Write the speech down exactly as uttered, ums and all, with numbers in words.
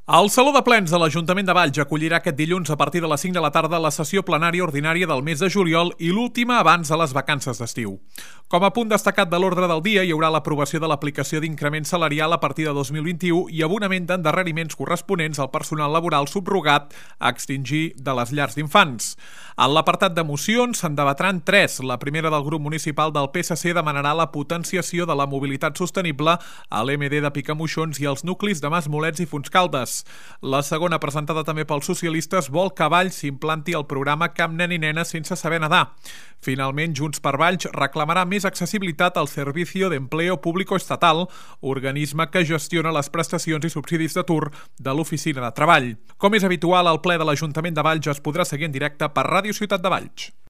El Saló de Plens de l'Ajuntament de Valls acollirà aquest dilluns a partir de les cinc de la tarda la sessió plenària ordinària del mes de juliol i l'última abans de les vacances d'estiu. Com a punt destacat de l'ordre del dia hi haurà l'aprovació de l'aplicació d'increment salarial a partir de dos mil vint-i-u i abonament d'endarreriments corresponents al personal laboral subrogat a extingir de les llars d'infants. En l'apartat de mocions se'n debatran tres. La primera del grup municipal del P S C demanarà la potenciació de la mobilitat sostenible a l'M D de Picamoixons i als nuclis de Masmolets i Fontscaldes. La segona, presentada també pels socialistes, vol que a Valls s'implanti el programa Cap nen i nena sense saber nedar. Finalment, Junts per Valls reclamarà més accessibilitat al Servicio de Empleo Público Estatal, organisme que gestiona les prestacions i subsidis d'atur de l'Oficina de Treball. Com és habitual, el ple de l'Ajuntament de Valls es podrà seguir en directe per Ràdio Ciutat de Valls.